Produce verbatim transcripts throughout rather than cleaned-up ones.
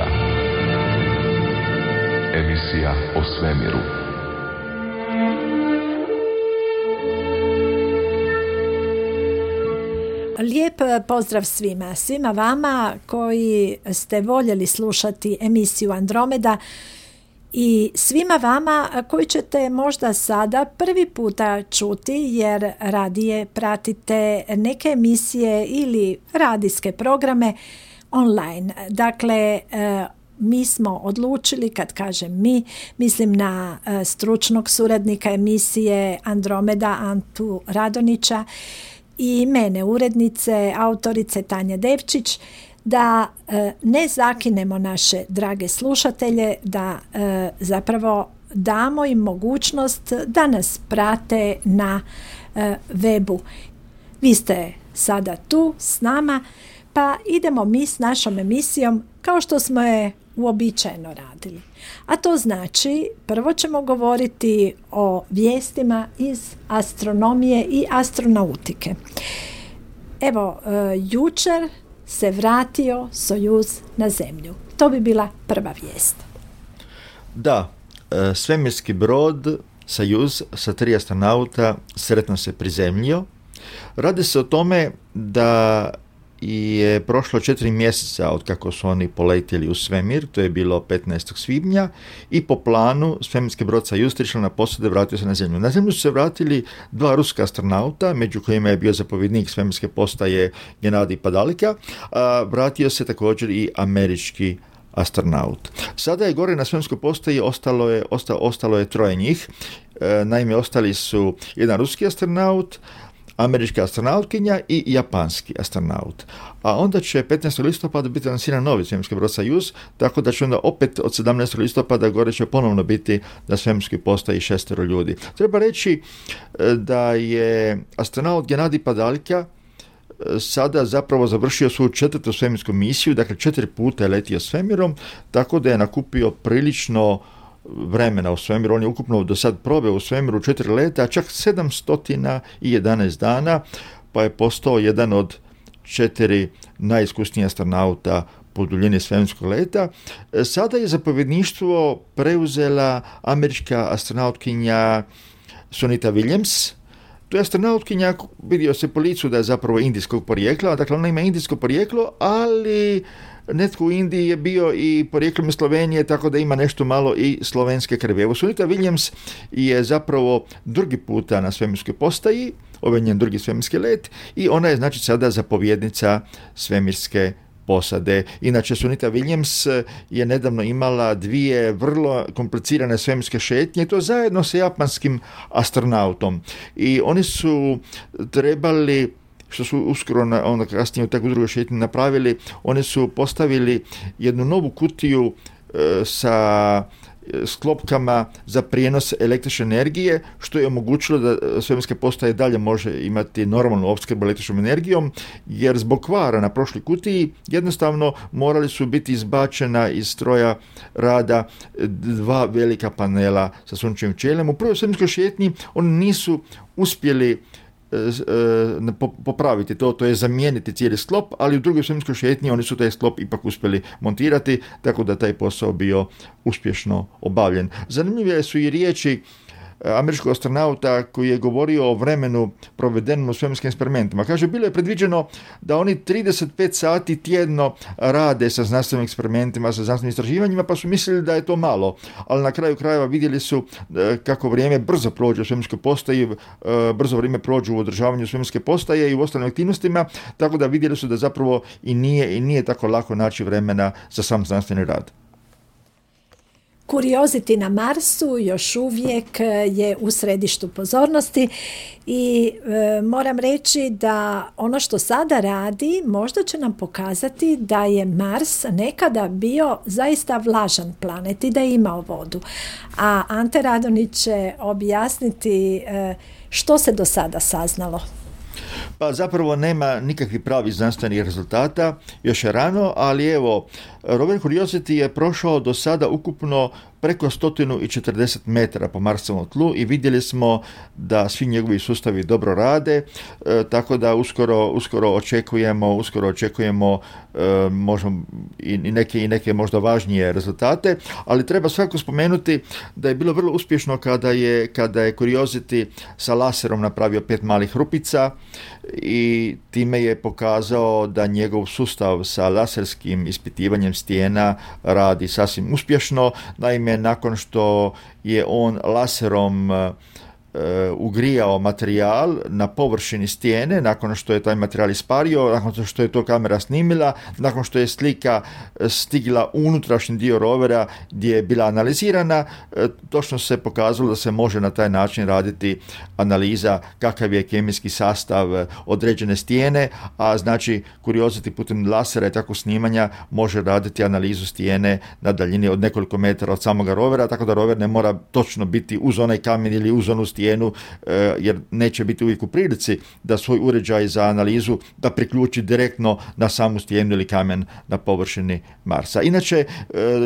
Andromeda. Emisija o svemiru. Lijep pozdrav svima, svima vama koji ste voljeli slušati emisiju Andromeda i svima vama koji ćete možda sada prvi puta čuti jer radije pratite neke emisije ili radijske programe online. Dakle, mi smo odlučili, kad kažem mi, mislim na stručnog suradnika emisije Andromeda Antu Radonića i mene, urednice, autorice Tanja Devčić, da e, ne zakinemo naše drage slušatelje, da e, zapravo damo im mogućnost da nas prate na e, webu. Vi ste sada tu s nama, pa idemo mi s našom emisijom kao što smo je uobičajeno radili. A to znači, prvo ćemo govoriti o vijestima iz astronomije i astronautike. Evo, e, jučer se vratio Sojuz na Zemlju. To bi bila prva vijest. Da, e, svemirski brod Sojuz sa tri astronauta sretno se prizemljio. Radi se o tome da je prošlo četiri mjeseca od kako su oni poletjeli u svemir, to je bilo petnaestog svibnja, i po planu svemirski brod Sojuz išao na posadu i vratio se na Zemlju. Na Zemlju su se vratili dva ruska astronauta, među kojima je bio zapovjednik svemirske postaje Genadij Padalika, a vratio se također i američki astronaut. Sada je gore na svemirskoj postaji ostalo je, osta, ostalo je troje njih. E, naime, ostali su jedan ruski astronaut, američka astronautkinja i japanski astronaut. A onda će petnaestog listopada biti lansiran novi svemirski brod Sojuz, tako da će onda opet od sedamnaestog listopada gore će ponovno biti na svemirskoj postaji šestero ljudi. Treba reći da je astronaut Genadij Padalika sada zapravo završio svoju četvrtu svemirsku misiju, dakle četiri puta je letio svemirom, tako da je nakupio prilično vremena u svemiru. On je ukupno do sad proveo u svemiru četiri leta, a čak sedamsto jedanaest dana, pa je postao jedan od četiri najiskusnijih astronauta po duljini svemirskog leta. Sada je zapovjedništvo preuzela američka astronautkinja Sunita Williams. To je astronautkinja, vidio se po licu da je zapravo indijskog porijekla, dakle ona ima indijsko porijeklo, ali netko u Indiji je bio i porijeklom iz Slovenije, tako da ima nešto malo i slovenske krvi. Evo, Sunita Williams je zapravo drugi puta na svemirskoj postaji, ovaj njen drugi svemirski let, i ona je znači sada zapovjednica svemirske posade. Inače, Sunita Williams je nedavno imala dvije vrlo komplicirane svemirske šetnje, i to zajedno sa japanskim astronautom. I oni su trebali, što su uskoro na, onda kasnije u takvu drugu šetnju napravili, oni su postavili jednu novu kutiju e, sa sklopkama za prijenos električne energije, što je omogućilo da svemirska postaja dalje može imati normalnu opskrbu električnom energijom, jer zbog kvara na prošloj kutiji jednostavno morali su biti izbačena iz stroja rada dva velika panela sa sunčevim ćelijom. U prvoj svemirskoj šetnji oni nisu uspjeli popraviti to, to je zamijeniti cijeli sklop, ali u drugoj svemirskoj šetnji oni su taj sklop ipak uspjeli montirati, tako da taj posao bio uspješno obavljen. Zanimljive su i riječi američkog astronauta koji je govorio o vremenu provedenom u svemirskim eksperimentima. Kaže, bilo je predviđeno da oni trideset pet sati tjedno rade sa znanstvenim eksperimentima, sa znanstvenim istraživanjima, pa su mislili da je to malo, ali na kraju krajeva vidjeli su kako vrijeme brzo prođe u svemirskoj postaji, brzo vrijeme prođe u održavanju svemirske postaje i u ostalim aktivnostima, tako da vidjeli su da zapravo i nije, i nije tako lako naći vremena za sam znanstveni rad. Curiosity na Marsu još uvijek je u središtu pozornosti i e, moram reći da ono što sada radi možda će nam pokazati da je Mars nekada bio zaista vlažan planet i da je imao vodu. A Ante Radonić će objasniti e, što se do sada saznalo. Pa zapravo nema nikakvih pravih znanstvenih rezultata, još je rano, ali evo, Rover Curiosity je prošao do sada ukupno preko sto četrdeset metara po Marsovom tlu i vidjeli smo da svi njegovi sustavi dobro rade, e, tako da uskoro, uskoro očekujemo, uskoro očekujemo e, možemo i, i, neke, i neke možda važnije rezultate, ali treba svakako spomenuti da je bilo vrlo uspješno kada je, kada je Curiosity sa laserom napravio pet malih rupica i time je pokazao da njegov sustav sa laserskim ispitivanjem stijena radi sasvim uspješno. Naime, nakon što je on laserom ugrijao materijal na površini stijene, nakon što je taj materijal ispario, nakon što je to kamera snimila, nakon što je slika stigla u unutrašnji dio rovera gdje je bila analizirana, točno se pokazalo da se može na taj način raditi analiza kakav je kemijski sastav određene stijene, a znači Curiosity putem lasera i takvog snimanja može raditi analizu stijene na daljini od nekoliko metara od samoga rovera, tako da rover ne mora točno biti uz onaj kamen ili uz onu stijenu, jer neće biti uvijek u prilici da svoj uređaj za analizu da priključi direktno na samu stijenu ili kamen na površini Marsa. Inače,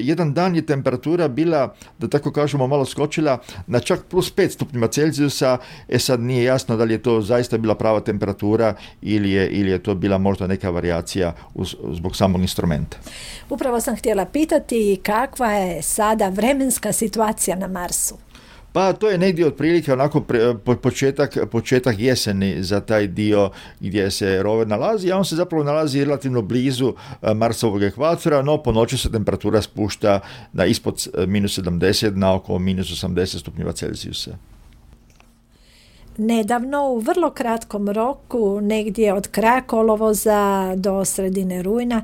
jedan dan je temperatura bila, da tako kažemo, malo skočila na čak plus pet stupnjeva Celzijusa, e sad nije jasno da li je to zaista bila prava temperatura ili je, ili je to bila možda neka varijacija uz, zbog samog instrumenta. Upravo sam htjela pitati kakva je sada vremenska situacija na Marsu. Pa to je negdje otprilike onako pre, početak, početak jeseni za taj dio gdje se rover nalazi, a on se zapravo nalazi relativno blizu Marsovog ekvatora, no po noći se temperatura spušta na ispod minus sedamdeset, na oko minus osamdeset stupnjeva Celzijusa. Nedavno, u vrlo kratkom roku, negdje od kraja kolovoza do sredine rujna,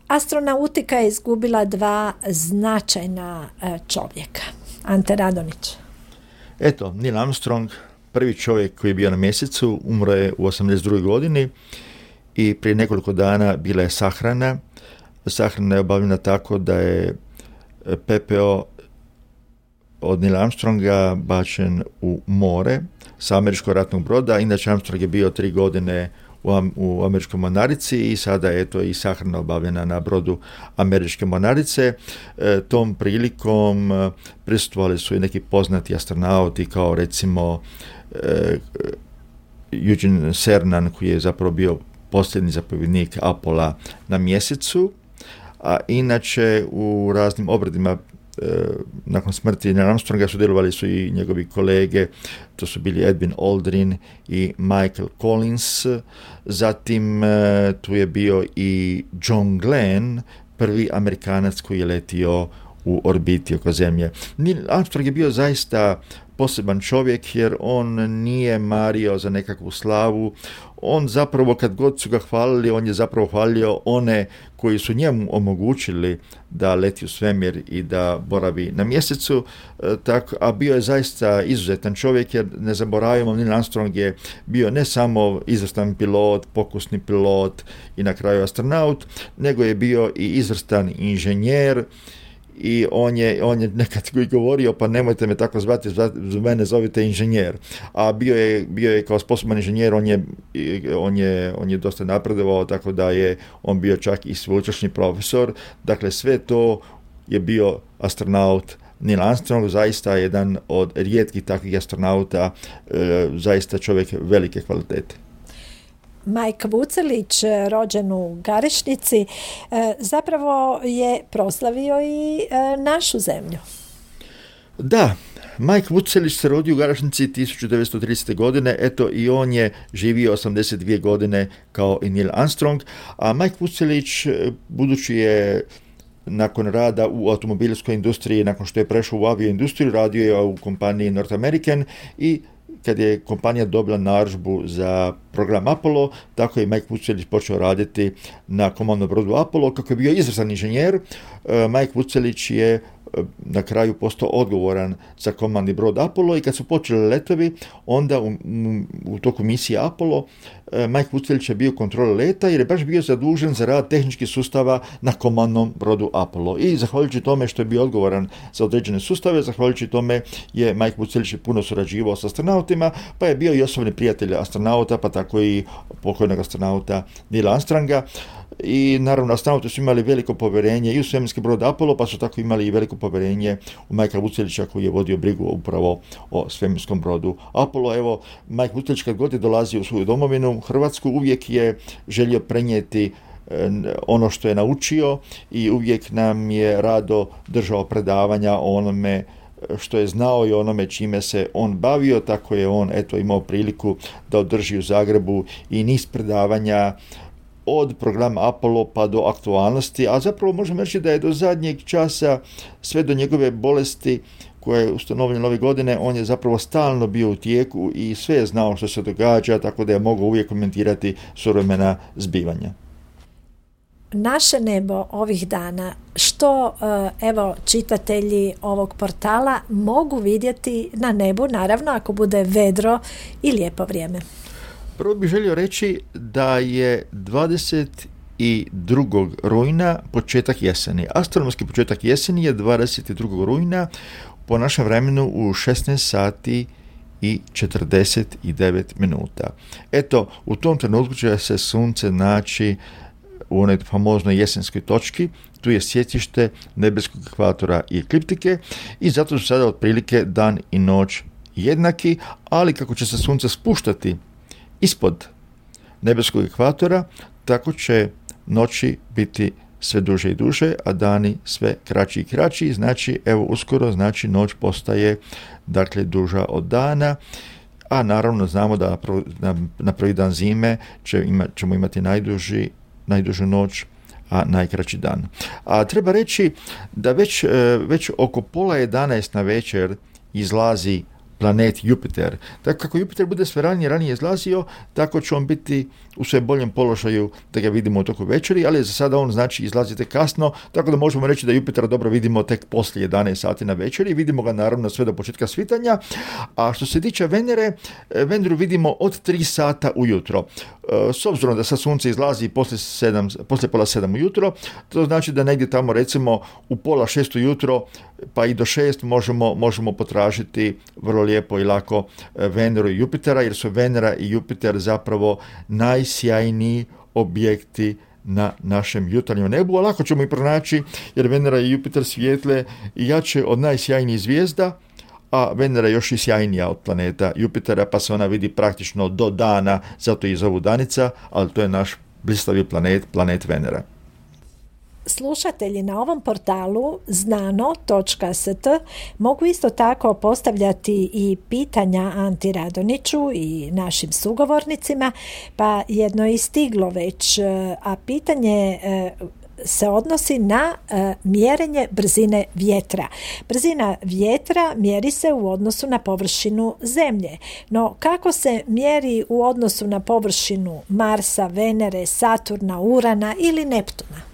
astronautika je izgubila dva značajna čovjeka. Ante Radonić. Eto, Neil Armstrong, prvi čovjek koji je bio na mjesecu, umro je u osamdeset drugoj godini i prije nekoliko dana bila je sahrana. Sahrana je obavljena tako da je pepeo od Neila Armstronga bačen u more sa američkog ratnog broda. Inače, Armstrong je bio tri godine u američkoj mornarici i sada je to i sahrana obavljena na brodu američke mornarice. E, tom prilikom prisustvovali su i neki poznati astronauti kao recimo e, Eugene Cernan, koji je zapravo bio posljednji zapovjednik Apollo na mjesecu, a inače u raznim obredima nakon smrti Neila Armstronga sudjelovali su i njegovi kolege, to su bili Edwin Aldrin i Michael Collins. Zatim tu je bio i John Glenn, prvi Amerikanac koji je letio u orbiti oko Zemlje. Neil Armstrong je bio zaista poseban čovjek jer on nije mario za nekakvu slavu. On zapravo, kad god su ga hvalili, on je zapravo hvalio one koji su njemu omogućili da leti u svemir i da boravi na mjesecu, tak, a bio je zaista izuzetan čovjek jer ne zaboravimo, Neil Armstrong je bio ne samo izvrstan pilot, pokusni pilot i na kraju astronaut, nego je bio i izvrstan inženjer. I on je, on je nekad govorio, pa nemojte me tako zvati, mene zovite inženjer. A bio je, bio je kao sposoban inženjer, on je, on je, on je dosta napredovao, tako da je on bio čak i sveučilišni profesor. Dakle, sve to je bio astronaut Neil Armstrong, zaista jedan od rijetkih takvih astronauta, e, zaista čovjek velike kvalitete. Mike Vucelić, rođen u Garešnici, zapravo je proslavio i našu zemlju. Da, Mike Vucelić se rodio u Garešnici tisuću devetsto tridesete. godine, eto i on je živio osamdeset dvije godine kao i Neil Armstrong, a Mike Vucelić, budući je nakon rada u automobilskoj industriji, nakon što je prešao u avioindustriju, radio je u kompaniji North American i kad je kompanija dobila narudžbu za program Apollo, tako je Mike Vucelić počeo raditi na komandnom brodu Apollo. Kako je bio izvrstan inženjer, Mike Vucelić je na kraju postao odgovoran za komandni brod Apollo i kad su počeli letovi, onda u, u toku misije Apollo Mike Vucelić je bio kontroler leta jer je baš bio zadužen za rad tehničkih sustava na komandnom brodu Apollo. I zahvaljujući tome što je bio odgovoran za određene sustave, zahvaljujući tome je Mike Vucelić puno surađivao s astronautima, pa je bio i osobni prijatelj astronauta, pa tako i pokojnog astronauta Neila Armstronga. i naravno astronauti su imali veliko povjerenje i u svemirski brod Apollo, pa su tako imali i veliko povjerenje u Majka Vucelića koji je vodio brigu upravo o svemirskom brodu Apollo. Evo, Majk Vucelić kad god je dolazio u svoju domovinu, Hrvatsku, uvijek je želio prenijeti ono što je naučio i uvijek nam je rado držao predavanja o onome što je znao i onome čime se on bavio, tako je on eto imao priliku da održi u Zagrebu i niz predavanja od programa Apollo pa do aktualnosti, a zapravo možemo reći da je do zadnjeg časa, sve do njegove bolesti koja je ustanovljena ove godine, on je zapravo stalno bio u tijeku i sve je znao što se događa, tako da je mogao uvijek komentirati suvremena zbivanja. Naše nebo ovih dana, što evo čitatelji ovog portala mogu vidjeti na nebu, naravno ako bude vedro i lijepo vrijeme? Prvo bih želio reći da je dvadeset drugog rujna početak jeseni. Astronomski početak jeseni je dvadeset drugog rujna po našem vremenu u šesnaest sati i četrdeset devet minuta. Eto, u tom trenutku će se sunce naći u onoj famoznoj jesenskoj točki, tu je sjecište nebeskog ekvatora i ekliptike i zato su sada otprilike dan i noć jednaki, ali kako će se sunce spuštati ispod nebeskog ekvatora, tako će noći biti sve duže i duže, a dani sve kraći i kraći, znači evo uskoro, znači noć postaje dakle duža od dana, a naravno znamo da na, na prvi dan zime će ima, ćemo imati najduži najdužu noć, a najkraći dan. A treba reći da već, već oko pola jedanaest na večer izlazi planet Jupiter. Tako kako Jupiter bude sve ranije ranije izlazio, tako će on biti u sve boljem položaju da ga vidimo u toku večeri, ali za sada on znači izlazite kasno, tako da možemo reći da Jupitera dobro vidimo tek poslije jedanaest sati na večeri, vidimo ga naravno sve do početka svitanja, a što se tiče Venere, Veneru vidimo od tri sata ujutro. S obzirom da sa sunce izlazi poslije, sedam, poslije pola sedam ujutro, to znači da negdje tamo recimo u pola šest ujutro pa i do šest možemo, možemo potražiti vrlo lijepo i lako Veneru i Jupitera, jer su Venera i Jupiter zapravo najsjajniji objekti na našem jutarnjem nebu, a lako ćemo i pronaći jer Venera i Jupiter svijetle jače od najsjajnijih zvijezda, a Venera je još i sjajnija od planeta Jupitera, pa se ona vidi praktično do dana, zato i zovu danica, ali to je naš blistavi planet, planet Venera. Slušatelji na ovom portalu znano točka s t mogu isto tako postavljati i pitanja Anti Radoniću i našim sugovornicima, pa jedno je stiglo već, a pitanje se odnosi na e, mjerenje brzine vjetra. Brzina vjetra mjeri se u odnosu na površinu Zemlje, no kako se mjeri u odnosu na površinu Marsa, Venere, Saturna, Urana ili Neptuna?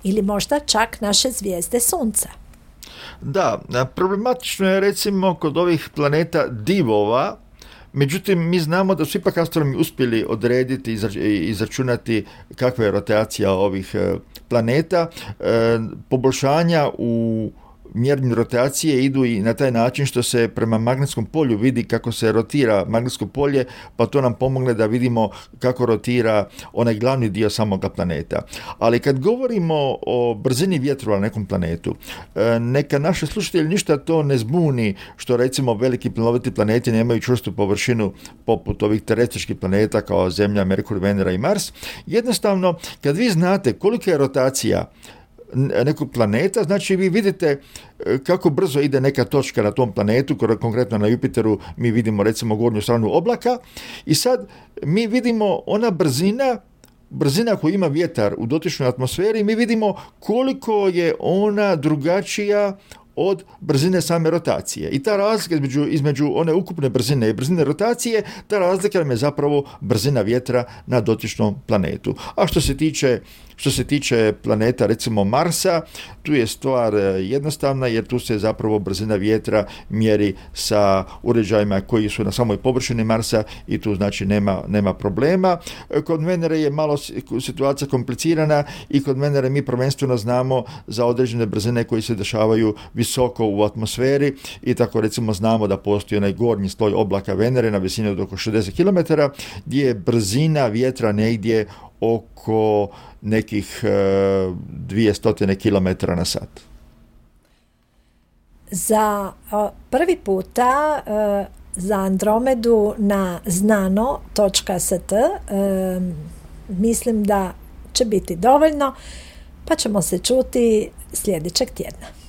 Ili možda čak naše zvijezde Sunca? Da, problematično je recimo kod ovih planeta divova. Međutim, mi znamo da su ipak astronomi uspjeli odrediti i izračunati kakva je rotacija ovih planeta. Poboljšanja u mjerenju rotacije idu i na taj način što se prema magnetskom polju vidi kako se rotira magnetsko polje, pa to nam pomogne da vidimo kako rotira onaj glavni dio samoga planeta. Ali kad govorimo o brzini vjetrova na nekom planetu, neka naše slušatelji ništa to ne zbuni što recimo veliki plinoviti planeti nemaju čvrstu površinu poput ovih terestičkih planeta kao Zemlja, Merkur, Venera i Mars. Jednostavno, kad vi znate kolika je rotacija nekog planeta, znači vi vidite kako brzo ide neka točka na tom planetu, konkretno na Jupiteru mi vidimo recimo gornju stranu oblaka i sad mi vidimo ona brzina brzina koju ima vjetar u dotičnoj atmosferi, mi vidimo koliko je ona drugačija od brzine same rotacije. I ta razlika između, između one ukupne brzine i brzine rotacije, ta razlika nam je zapravo brzina vjetra na dotičnom planetu. A što se tiče Što se tiče planeta, recimo Marsa, tu je stvar jednostavna jer tu se zapravo brzina vjetra mjeri sa uređajima koji su na samoj površini Marsa i tu znači nema, nema problema. Kod Venere je malo situacija komplicirana i kod Venere mi prvenstveno znamo za određene brzine koje se dešavaju visoko u atmosferi i tako recimo znamo da postoji onaj gornji sloj oblaka Venere na visini od oko šezdeset kilometara gdje je brzina vjetra negdje oko nekih dvjesto kilometara na sat. Za prvi puta za Andromedu na znano točka s t mislim da će biti dovoljno, pa ćemo se čuti sljedećeg tjedna.